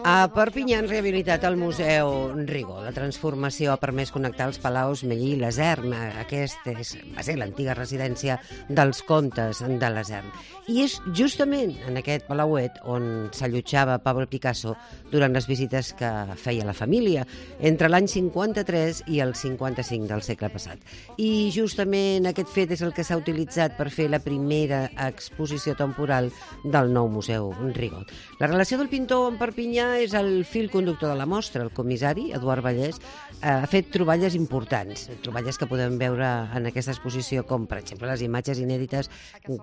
A Perpinyà han rehabilitat el Museu Rigó. La transformació ha permès connectar els palaus Mellí i Lasern. Aquesta va ser l'antiga residència dels comtes de Lasern. I és justament en aquest palauet on s'allotjava Pablo Picasso durant les visites que feia la família entre l'any 53 i el 55 del segle passat. I justament aquest fet és el que s'ha utilitzat per fer la primera exposició temporal del nou Museu Rigó. La relació del pintor amb Perpinyà és el fil conductor de la mostra. El comissari, Eduard Vallès, ha fet troballes importants, troballes que podem veure en aquesta exposició, com per exemple les imatges inèdites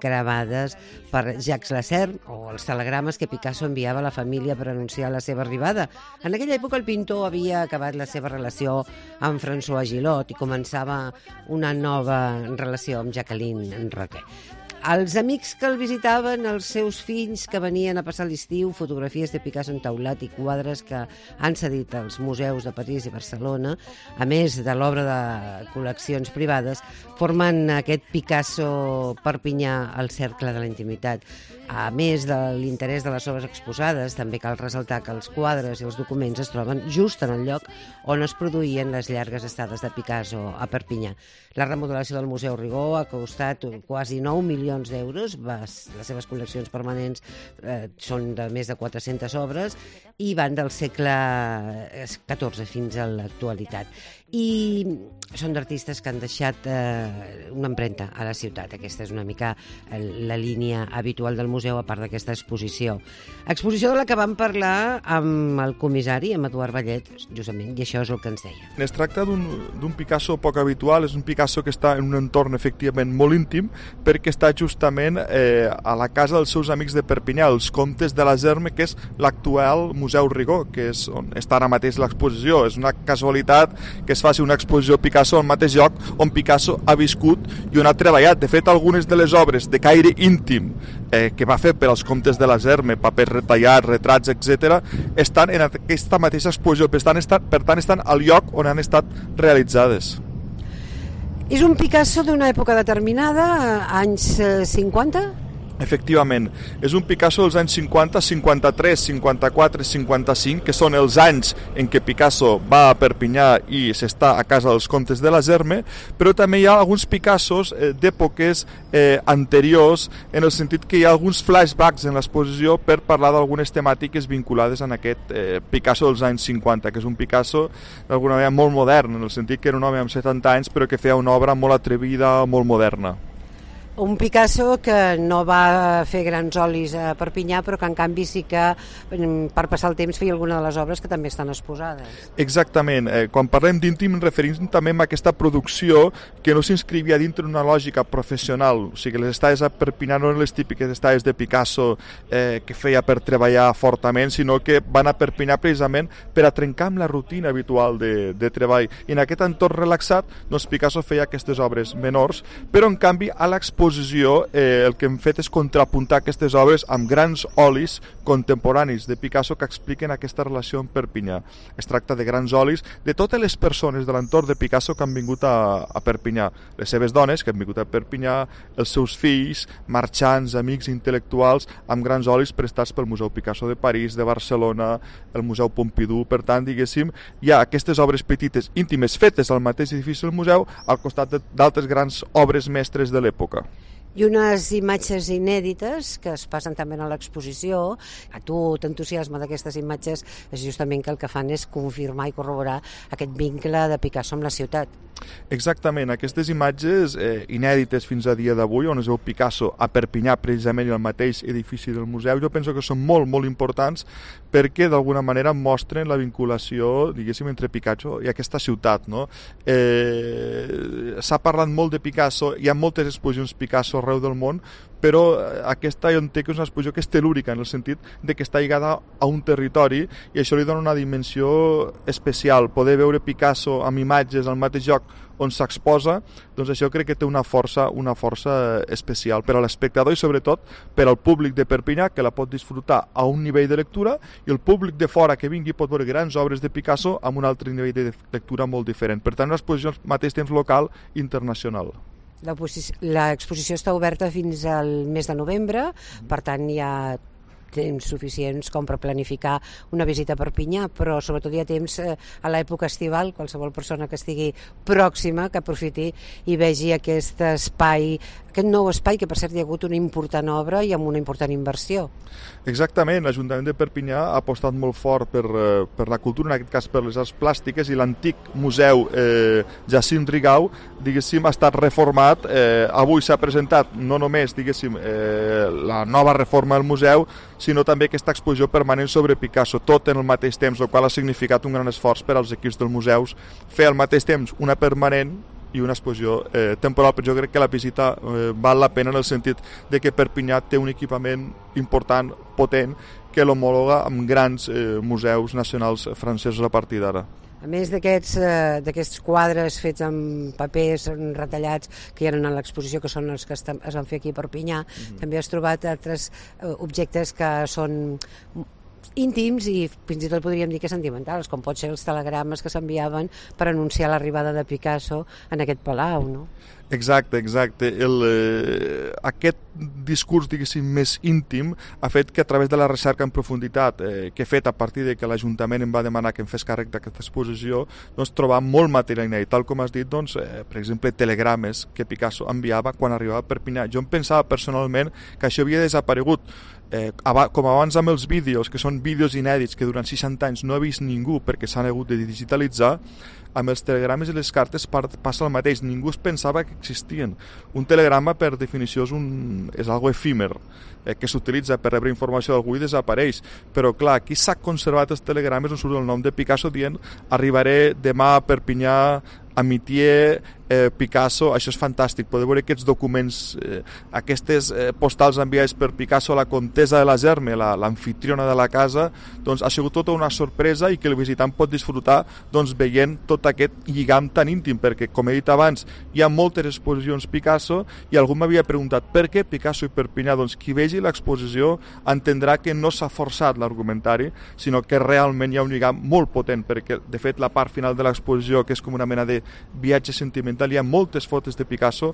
gravades per Jacques Lasserre o els telegrames que Picasso enviava a la família per anunciar la seva arribada. En aquella època el pintor havia acabat la seva relació amb François Gillot i començava una nova relació amb Jacqueline Roquet. Els amics que el visitaven, els seus fills que venien a passar l'estiu, fotografies de Picasso en taulat i quadres que han cedit als museus de París i Barcelona, a més de l'obra de col·leccions privades, formen aquest Picasso Perpinyà al cercle de la intimitat. A més de l'interès de les obres exposades, també cal ressaltar que els quadres i els documents es troben just en el lloc on es produïen les llargues estades de Picasso a Perpinyà. La remodelació del Museu Rigó ha costat quasi 9 milions d'euros. Les seves col·leccions permanents són de més de 400 obres i van del segle XIV fins a l'actualitat. I són d'artistes que han deixat una empremta a la ciutat. Aquesta és una mica la línia habitual del museu, a part d'aquesta exposició. Exposició de la que vam parlar amb el comissari, amb Eduard Vallet, justament, i això és el que ens deia. Es tracta d'un Picasso poc habitual, és un Picasso que està en un entorn efectivament molt íntim, perquè està justament a la casa dels seus amics de Perpinyà, els comtes de Lasern, que és l'actual Museu Rigó, que és on està ara mateix l'exposició. És una casualitat que es faci una exposició Picasso al mateix lloc on Picasso ha viscut i on ha treballat. De fet, algunes de les obres de caire íntim que va fer per als comtes de Lasern, papers retallats, retrats, etc., estan en aquesta mateixa exposició, per tant estan al lloc on han estat realitzades. És un Picasso d'una època determinada, anys 50? Efectivament, és un Picasso dels anys 50, 53, 54 i 55, que són els anys en què Picasso va a Perpinyà i s'està a casa dels comtes de Lasern, però també hi ha alguns Picassos d'èpoques anteriors, en el sentit que hi ha alguns flashbacks en l'exposició per parlar d'algunes temàtiques vinculades en aquest Picasso dels anys 50, que és un Picasso d'alguna manera molt modern, en el sentit que era un home amb 70 anys però que feia una obra molt atrevida, molt moderna. Un Picasso que no va fer grans olis a Perpinyà, però que en canvi sí que per passar el temps feia alguna de les obres que també estan exposades. Exactament. Quan parlem d'íntim ens referim també a aquesta producció que no s'inscrivia dintre una lògica professional. O sigui, les estades a Perpinyà no eren les típiques estades de Picasso que feia per treballar fortament, sinó que van a Perpinyà precisament per a trencar amb la rutina habitual de treball. I en aquest entorn relaxat, doncs Picasso feia aquestes obres menors, però en canvi a l'exposició el que hem fet és contrapuntar aquestes obres amb grans olis contemporanis de Picasso que expliquen aquesta relació amb Perpinyà. Es tracta de grans olis de totes les persones de l'entorn de Picasso que han vingut a Perpinyà. Les seves dones que han vingut a Perpinyà, els seus fills, marxants, amics intel·lectuals, amb grans olis prestats pel Museu Picasso de París, de Barcelona, el Museu Pompidou. Per tant, diguéssim, hi ha aquestes obres petites, íntimes, fetes al mateix edifici del museu, al costat d'altres grans obres mestres de l'època. I unes imatges inèdites que es passen també a l'exposició. A tu t'entusiasma d'aquestes imatges és justament que el que fan és confirmar i corroborar aquest vincle de Picasso amb la ciutat. Exactament, aquestes imatges inèdites fins a dia d'avui, on es veu Picasso a Perpinyà precisament i al mateix edifici del museu, jo penso que són molt, molt importants perquè d'alguna manera mostren la vinculació, diguéssim, entre Picasso i aquesta ciutat, no? S'ha parlat molt de Picasso, hi ha moltes exposicions Picasso arreu del món, però aquesta jo entenc que és una exposició que és telúrica, en el sentit de que està lligada a un territori i això li dona una dimensió especial. Poder veure Picasso amb imatges al mateix lloc on s'exposa, doncs això crec que té una força especial per a l'espectador i sobretot per al públic de Perpinyà, que la pot disfrutar a un nivell de lectura, i el públic de fora que vingui pot veure grans obres de Picasso amb un altre nivell de lectura molt diferent. Per tant, una exposició al mateix temps local i internacional. L'exposició està oberta fins al mes de novembre, per tant hi ha temps suficients com per planificar una visita a Perpinyà, però sobretot hi ha temps a l'època estival, qualsevol persona que estigui pròxima que aprofiti i vegi aquest espai, aquest nou espai, que per cert hi ha hagut una important obra i amb una important inversió. Exactament, l'Ajuntament de Perpinyà ha apostat molt fort per la cultura, en aquest cas per les arts plàstiques, i l'antic museu Jacint Rigau, diguéssim, ha estat reformat. Avui s'ha presentat no només, diguéssim, la nova reforma del museu, sinó també aquesta exposició permanent sobre Picasso, tot en el mateix temps, el qual ha significat un gran esforç per als equips dels museus fer al mateix temps una permanent i una exposició temporal, però jo crec que la visita val la pena en el sentit de que Perpinyà té un equipament important, potent, que l'homologa amb grans museus nacionals francesos a partir d'ara. A més d'aquests quadres fets amb papers retallats que hi ha en l'exposició, que són els que es van fer aquí a Perpinyà, també has trobat altres objectes que són íntims i fins i tot podríem dir que sentimentals, com pot ser els telegrames que s'enviaven per anunciar l'arribada de Picasso en aquest palau, no? Exacte. Aquest discurs, diguéssim, més íntim ha fet que a través de la recerca en profunditat que he fet a partir de que l'Ajuntament em va demanar que em fes càrrec d'aquesta exposició, doncs trobar molt material inèdit, tal com has dit, doncs, per exemple, telegrames que Picasso enviava quan arribava a Perpinyà. Jo em pensava personalment que això havia desaparegut, com abans amb els vídeos, que són vídeos inèdits que durant 60 anys no ha vist ningú perquè s'han hagut de digitalitzar. Amb els telegrames i les cartes passa el mateix, ningú es pensava que existien. Un telegrama, per definició, és algo efímer, que s'utilitza per rebre informació d'algú i desapareix. Però clar, aquí s'ha conservat els telegrames on surt el nom de Picasso dient arribaré demà a Perpinyà, Amitié, Picasso. Això és fantàstic, poder veure aquests documents, aquestes postals enviades per Picasso a la comtessa de la Germe, l'amfitriona de la casa. Doncs ha sigut tota una sorpresa i que el visitant pot disfrutar, doncs, veient tot aquest lligam tan íntim, perquè, com he dit abans, hi ha moltes exposicions Picasso i algú m'havia preguntat per què Picasso i Perpinyà. Doncs qui vegi l'exposició entendrà que no s'ha forçat l'argumentari, sinó que realment hi ha un lligam molt potent, perquè de fet la part final de l'exposició, que és com una mena de viatge sentimental, hi ha moltes fotos de Picasso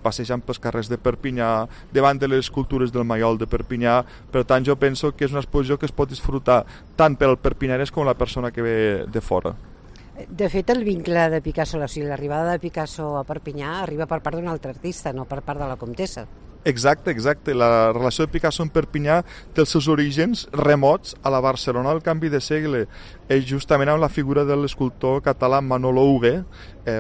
passejant pels carrers de Perpinyà, davant de les escultures del Maiol de Perpinyà. Per tant, jo penso que és una exposició que es pot disfrutar tant per al perpinyanès com la persona que ve de fora. De fet, el vincle de Picasso, o sigui, l'arribada de Picasso a Perpinyà arriba per part d'un altre artista, no per part de la comtessa. Exacte. La relació de Picasso amb Perpinyà té els seus orígens remots a la Barcelona del canvi de segle, justament amb la figura de l'escultor català Manolo Hugué.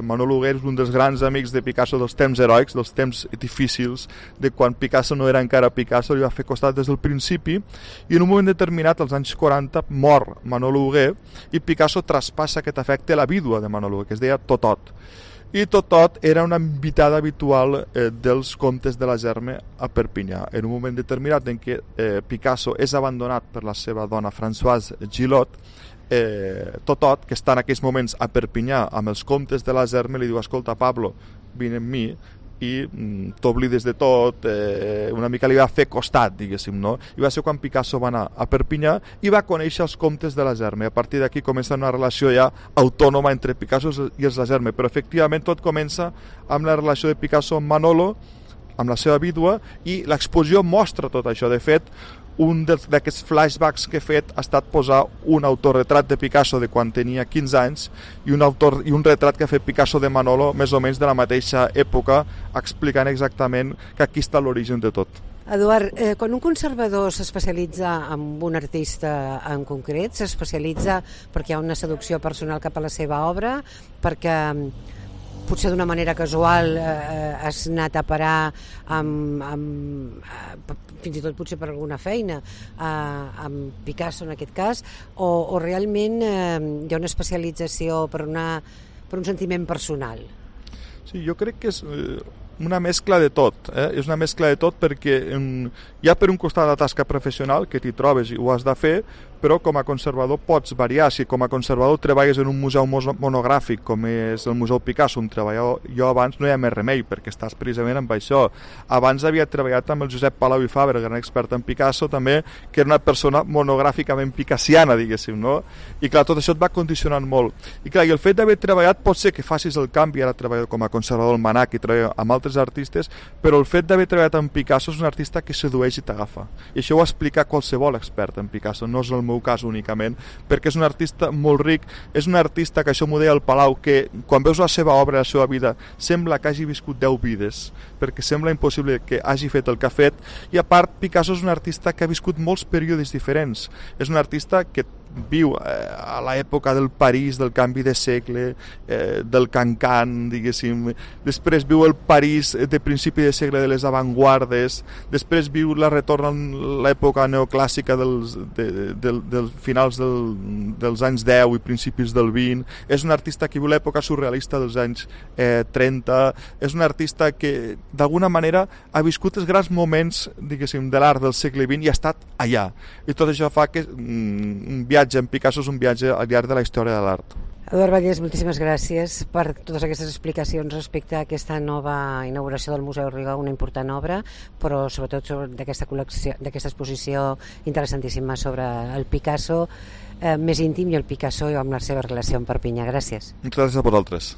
Manolo Hugué és un dels grans amics de Picasso dels temps heroics, dels temps difícils, de quan Picasso no era encara Picasso, li va fer costat des del principi, i en un moment determinat, als anys 40, mor Manolo Hugué i Picasso traspassa aquest afecte a la vídua de Manolo Hugué, que es deia Totot. I Totot era una invitada habitual dels comtes de la Germe a Perpinyà. En un moment determinat en què Picasso és abandonat per la seva dona Françoise Gillot, Totot, que està en aquells moments a Perpinyà amb els comtes de la Germe, li diu: escolta, Pablo, vine amb mi i t'oblides de tot, una mica li va fer costat, diguéssim, no? I va ser quan Picasso va anar a Perpinyà i va conèixer els comtes de la Germe. A partir d'aquí comença una relació ja autònoma entre Picasso i els de la Germe, però efectivament tot comença amb la relació de Picasso amb Manolo, amb la seva vídua, i l'exposició mostra tot això. De fet, un d'aquests flashbacks que he fet ha estat posar un autorretrat de Picasso de quan tenia 15 anys i un retrat que ha fet Picasso de Manolo més o menys de la mateixa època, explicant exactament que aquí està l'origen de tot. Eduard, quan un conservador s'especialitza en un artista en concret, s'especialitza perquè hi ha una seducció personal cap a la seva obra, perquè potser d'una manera casual has anat a parar fins i tot potser per alguna feina amb Picasso en aquest cas, o realment hi ha una especialització per un sentiment personal? Sí, jo crec que és una mescla de tot, és una mescla de tot, perquè hi ha per un costat la tasca professional que t'hi trobes i ho has de fer, però com a conservador pots variar. Si com a conservador treballes en un museu monogràfic com és el Museu Picasso, on treballo jo abans, no hi ha més remei, perquè estàs precisament amb això. Abans havia treballat amb el Josep Palau i Fabra, gran expert en Picasso també, que era una persona monogràficament picassiana, diguéssim, no? I clar, tot això et va condicionant molt. I clar, i el fet d'haver treballat pot ser que facis el canvi, ara treballo com a conservador al Manac i treballo amb altres artistes, però el fet d'haver treballat amb Picasso és un artista que sedueix i t'agafa. I això ho explica qualsevol expert en Picasso, no és el meu cas únicament, perquè és un artista molt ric, és un artista que això m'ho deia el Palau, que quan veus la seva obra, la seva vida, sembla que hagi viscut 10 vides, perquè sembla impossible que hagi fet el que ha fet, i a part Picasso és un artista que ha viscut molts períodes diferents, és un artista que viu a l'època del París, del canvi de segle, del Cancan, diguéssim, després viu el París de principi de segle de les avantguardes, després viu la retorn a l'època neoclàssica dels finals dels anys 10 i principis del 20, és un artista que viu l'època surrealista dels anys 30, és un artista que d'alguna manera ha viscut els grans moments, diguéssim, de l'art del segle XX i ha estat allà, i tot això fa que un viatge en Picasso és un viatge al llarg de la història de l'art. Eduard Vallès, moltíssimes gràcies per totes aquestes explicacions respecte a aquesta nova inauguració del Museu Rigol, una important obra, però sobretot d'aquesta col·lecció, d'aquesta exposició interessantíssima sobre el Picasso més íntim i el Picasso amb la seva relació amb Perpinyà. Gràcies. Gràcies a vosaltres.